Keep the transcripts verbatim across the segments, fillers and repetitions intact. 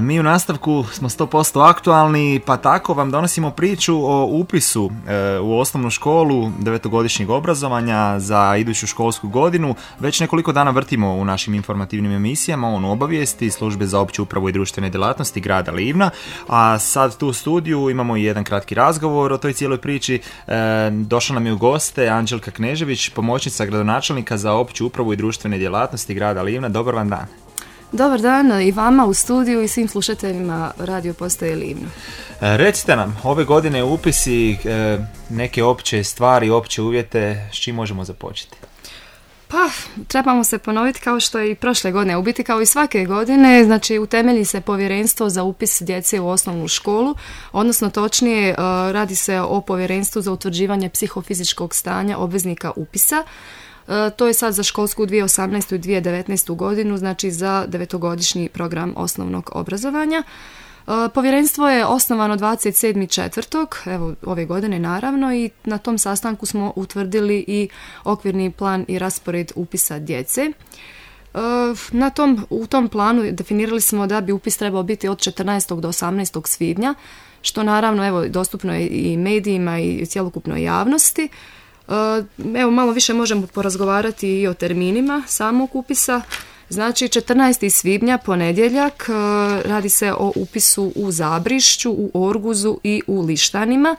Mi u nastavku smo sto posto aktualni, pa tako vam donosimo priču o upisu u osnovnu školu devetogodišnjeg obrazovanja za iduću školsku godinu. Već nekoliko dana vrtimo u našim informativnim emisijama on obavijesti Službe za opću upravu i društvene djelatnosti grada Livna, a sad tu u studiju imamo i jedan kratki razgovor o toj cijeloj priči. Došla nam je u goste Anđelka Knežević, pomoćnica gradonačelnika za opću upravu i društvene djelatnosti grada Livna. Dobar vam dan. Dobar dan i vama u studiju i svim slušateljima radio postaje Livno. E, recite nam, ove godine upisi, e, neke opće stvari, opće uvjete, s čim možemo započeti? Pa, trebamo se ponoviti kao što je i prošle godine, u biti kao i svake godine, znači utemelji se povjerenstvo za upis djece u osnovnu školu, odnosno točnije radi se o povjerenstvu za utvrđivanje psihofizičkog stanja obveznika upisa. To je sad za školsku dvije tisuće osamnaestu i dvije tisuće devetnaestu godinu, znači za devetogodišnji program osnovnog obrazovanja. Povjerenstvo je osnovano dvadeset sedmog četvrtog evo ove godine naravno, i na tom sastanku smo utvrdili i okvirni plan i raspored upisa djece. Na tom, u tom planu definirali smo da bi upis trebao biti od četrnaestog do osamnaestog svibnja, što naravno evo dostupno je i medijima i cjelokupnoj javnosti. Evo malo više možemo porazgovarati i o terminima samog upisa. Znači četrnaestog svibnja ponedjeljak, radi se o upisu u Zabrišću, u Orguzu i u Lištanima.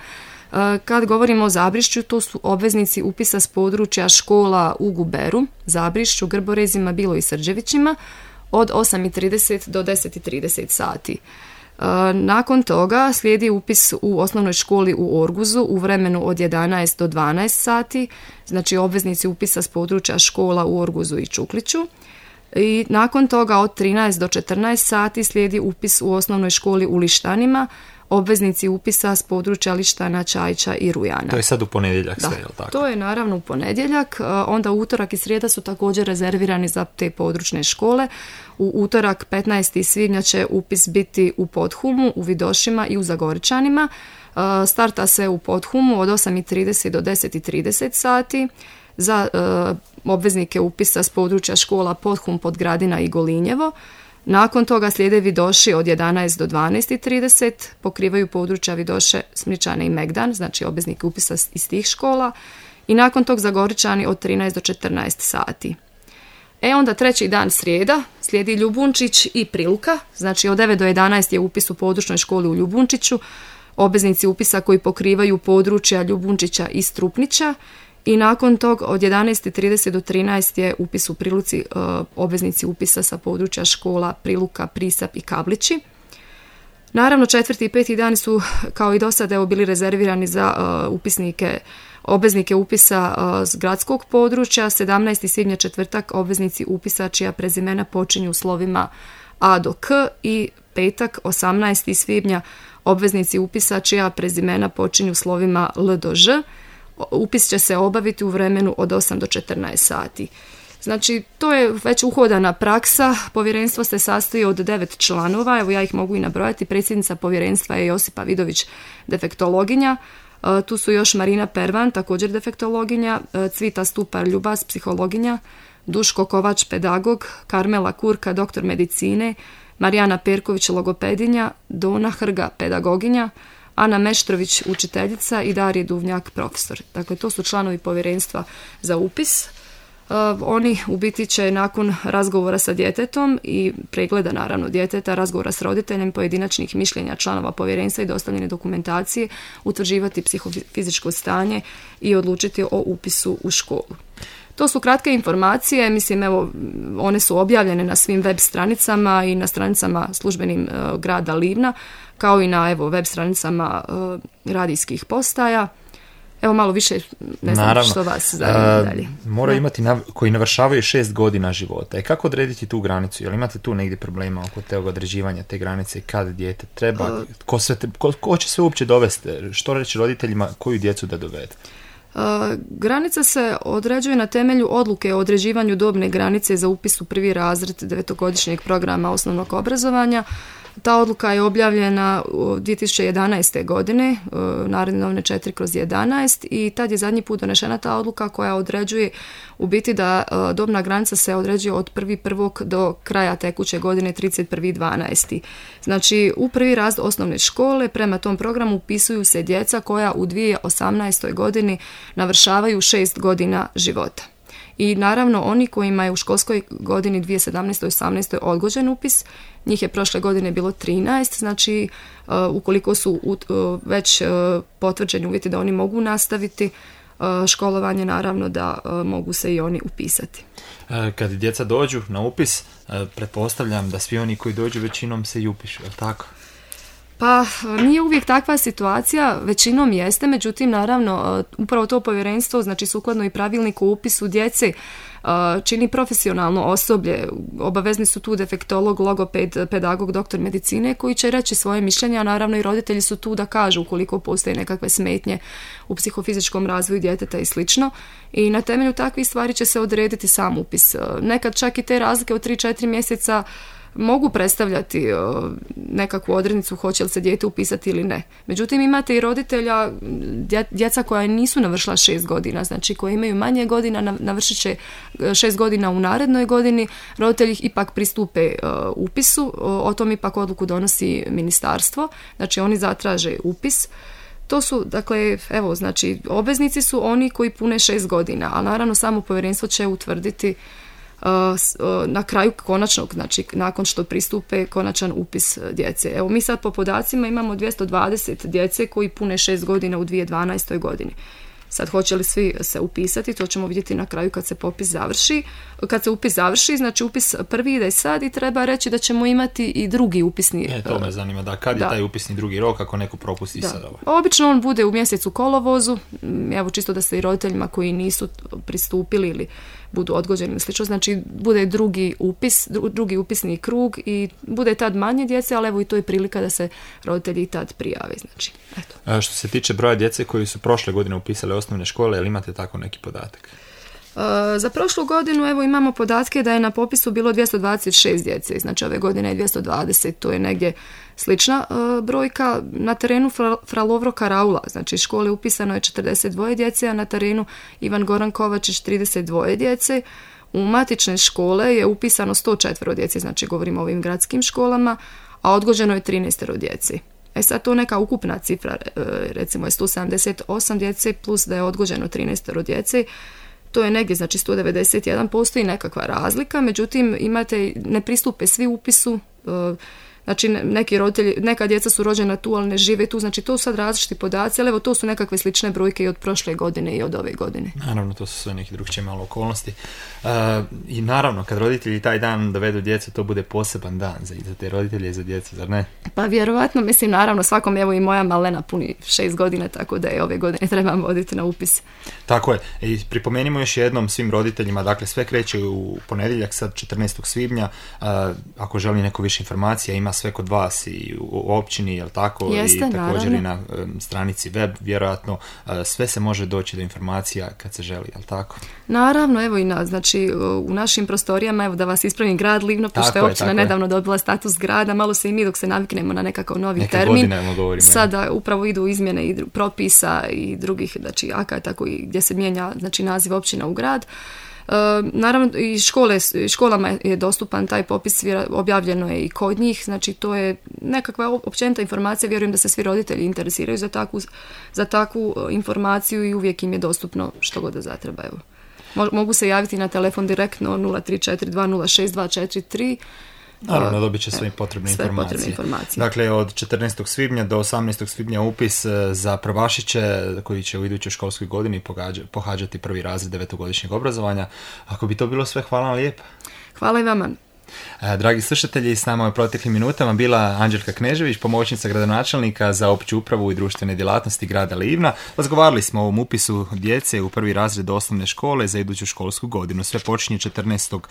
Kad govorimo o Zabrišću, to su obveznici upisa s područja škola u Guberu, Zabrišću, Grborezima, Bilo i Srđevićima od osam i trideset do deset i trideset sati. Nakon toga slijedi upis u osnovnoj školi u Orguzu u vremenu od jedanaest do dvanaest sati, znači obveznici upisa s područja škola u Orguzu i Čukliću. I nakon toga od trinaest do četrnaest sati slijedi upis u osnovnoj školi u Lištanima, obveznici upisa s područja Lištana, Čajča i Rujana. To je sad u ponedjeljak sve, da, je li tako? To je naravno u ponedjeljak, onda utorak i srijeda su također rezervirani za te područne škole. U utorak petnaestog svibnja će upis biti u Podhumu, u Vidošima i u Zagorčanima. Starta se u Podhumu od osam i trideset do deset i trideset sati. Za uh, obveznike upisa s područja škola Podhum, Podgradina i Golinjevo. Nakon toga slijede Vidoši od jedanaest do dvanaest i trideset, pokrivaju područja Vidoše, Smričane i Megdan, znači obveznike upisa iz tih škola. I nakon tog Zagorčani od trinaest do četrnaest sati. E onda treći dan srijeda slijedi Ljubunčić i Priluka, znači od devet do jedanaest je upis u područnoj školi u Ljubunčiću, obveznici upisa koji pokrivaju područja Ljubunčića i Strupnića. I nakon tog od jedanaest i trideset do trinaest je upis u Priluci, obveznici upisa sa područja škola Priluka, Prisap i Kablići. Naravno četvrti i peti dan su kao i do sada evo bili rezervirani za upisnike, obveznike upisa s gradskog područja. sedamnaestog svibnja četvrtak obveznici upisa čija prezimena počinju slovima A do K, i petak osamnaestog svibnja obveznici upisa čija prezimena počinju slovima L do Ž. Upis će se obaviti u vremenu od osam do četrnaest sati. Znači, to je već uhodana praksa. Povjerenstvo se sastoji od devet članova, evo ja ih mogu i nabrojati. Predsjednica povjerenstva je Josipa Vidović, defektologinja. Tu su još Marina Pervan, također defektologinja, Cvita Stupar Ljubas, psihologinja, Duško Kovač, pedagog, Karmela Kurka, doktor medicine, Marijana Perković, logopedinja, Dona Hrga, pedagoginja, Ana Meštrović, učiteljica, i Darije Duvnjak, profesor. Dakle, to su članovi povjerenstva za upis. Uh, oni u biti će nakon razgovora sa djetetom i pregleda naravno djeteta, razgovora s roditeljem, pojedinačnih mišljenja članova povjerenstva i dostavljene dokumentacije utvrđivati psihofizičko stanje i odlučiti o upisu u školu. To su kratke informacije, mislim evo one su objavljene na svim web stranicama i na stranicama službenim uh, grada Livna, kao i na evo web stranicama uh, radijskih postaja. Evo malo više, ne znam Naravno. Što vas zanima dalje. Mora imati nav- koji navršavaju šest godina života. E kako odrediti tu granicu? Jel imate tu negdje problema oko tog određivanja te granice i kad dijete treba? Uh, ko, sve te, ko, ko će se uopće dovesti? Što reći roditeljima koju djecu da dovede? Uh, granica se određuje na temelju odluke o određivanju dobne granice za upis u prvi razred devetogodišnjeg programa osnovnog obrazovanja. Ta odluka je objavljena u dvije tisuće jedanaeste. godine, Narodne novine četiri kroz jedanaest, i tad je zadnji put donešena ta odluka koja određuje u biti da dobna granica se određuje od prvi prvog do kraja tekuće godine trideset prvi dvanaesti. Znači, u prvi razred osnovne škole prema tom programu upisuju se djeca koja u dvije tisuće osamnaestoj. godini navršavaju šest godina života. I naravno oni kojima je u školskoj godini dvije tisuće sedamnaeste. osamnaeste. odgođen upis, njih je prošle godine bilo trinaest, znači uh, ukoliko su uh, već uh, potvrđeni uvjeti da oni mogu nastaviti uh, školovanje, naravno da uh, mogu se i oni upisati. Kad djeca dođu na upis, uh, pretpostavljam da svi oni koji dođu većinom se i upišu, je li tako? Pa nije uvijek takva situacija, većinom jeste, međutim naravno upravo to povjerenstvo, znači sukladno i pravilniku o upisu djece, čini profesionalno osoblje, obavezni su tu defektolog, logoped, pedagog, doktor medicine koji će reći svoje mišljenje, a naravno i roditelji su tu da kažu ukoliko postoje nekakve smetnje u psihofizičkom razvoju djeteta i slično, i na temelju takvih stvari će se odrediti sam upis. Nekad čak i te razlike od tri do četiri mjeseca mogu predstavljati nekakvu odrednicu hoće li se dijete upisati ili ne. Međutim, imate i roditelja, djeca koja nisu navršila šest godina, znači koji imaju manje godina, navršit će šest godina u narednoj godini, roditelji ipak pristupe upisu, o tom ipak odluku donosi ministarstvo, znači oni zatraže upis. To su, dakle, evo, znači, obveznici su oni koji pune šest godina, a naravno samo povjerenstvo će utvrditi na kraju konačnog, znači nakon što pristupe konačan upis djece. Evo, mi sad po podacima imamo dvjesto dvadeset djece koji pune šest godina u dvije tisuće dvanaestoj. godini. Sad hoće li svi se upisati, to ćemo vidjeti na kraju kad se popis završi. Kad se upis završi, znači upis prvi ide sad i treba reći da ćemo imati i drugi upisni. E, to me zanima, da kad je da. taj upisni drugi rok ako neko propusti da. sad ovo? Obično on bude u mjesecu kolovozu, evo čisto da se i roditeljima koji nisu pristupili ili budu odgođeni ili slično, znači bude drugi upis, drugi upisni krug i bude tad manje djece, ali evo i to je prilika da se roditelji tad prijave. Znači, eto. A što se tiče broja djece koji su prošle godine upisali osnovne škole, jel imate tako neki podatak? Uh, za prošlu godinu evo imamo podatke da je na popisu bilo dvjesto dvadeset šest djece, znači ove godine je dvjesto dvadeset, to je negdje slična uh, brojka. Na terenu Fra, Fra Lovro Karaula, znači škole upisano je četrdeset dvije djece, a na terenu Ivan Goran Kovačić trideset dvije djece. U matične škole je upisano sto četiri djece, znači govorimo o ovim gradskim školama, a odgođeno je trinaest djece. E sad to neka ukupna cifra, recimo je sto sedamdeset osam djece plus da je odgođeno trinaest djece, to je negdje, znači sto devedeset jedan, postoji nekakva razlika, međutim imate, ne pristupe svi upisu, znači neki roditelji, neka djeca su rođena tu, ali ne žive tu, znači to su sad različiti podaci, ali evo to su nekakve slične brojke i od prošle godine i od ove godine. Naravno, to su sve neki drugčije malo okolnosti. Uh, I naravno, kad roditelji taj dan dovedu djecu, to bude poseban dan za, za te roditelje i za djecu, zar ne? Pa vjerovatno, mislim, naravno, svakom, evo i moja malena puni šest godina, tako da je ove godine trebam voditi na upis. Tako je. I pripomenimo još jednom svim roditeljima, dakle sve kreće u ponedjeljak, sad četrnaestog svibnja, uh, ako želi neko više informacija, ima sve kod vas i u općini, jel tako? Jeste, i također naravno. I na um, stranici web, vjerojatno, uh, sve se može doći do informacija kad se želi, jel tako? Naravno, evo i na, znači u našim prostorijama, evo da vas ispravim, grad Livno, pošto je općina nedavno je. dobila status grada, malo se i mi dok se naviknemo na nekakav novi Neke termin, govorimo, sada je. upravo idu izmjene i propisa i drugih, znači akata koji, gdje se mijenja, znači naziv općina u grad. Uh, naravno i škole, školama je dostupan taj popis, objavljeno je i kod njih, znači to je nekakva općenita informacija, vjerujem da se svi roditelji interesiraju za takvu, za takvu informaciju i uvijek im je dostupno što god da zatreba. Evo. Mogu se javiti na telefon direktno nula tri četiri dva nula šest dva četiri tri. Naravno, dobit će sve potrebne, sve informacije. potrebne informacije. Dakle, od četrnaestog svibnja do osamnaestog svibnja upis za prvašiće koji će u idućoj školskoj godini pohađa, pohađati prvi razred devetogodišnjeg obrazovanja. Ako bi to bilo sve, hvala vam lijepa. Hvala i vama. Dragi slušatelji, s nama je u proteklim minutama bila Anđelka Knežević, pomoćnica gradonačelnika za opću upravu i društvene djelatnosti grada Livna. Razgovarali smo o ovom upisu djece u prvi razred osnovne škole za iduću školsku godinu. Sve počinje četrnaestog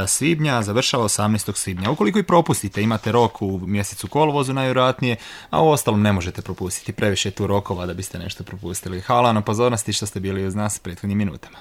svibnja, završava osamnaestog svibnja. Ukoliko i propustite, imate rok u mjesecu kolovozu najvjerojatnije, a u ostalom ne možete propustiti. Previše je tu rokova da biste nešto propustili. Hvala na pozornosti što ste bili uz nas prethodnim minutama.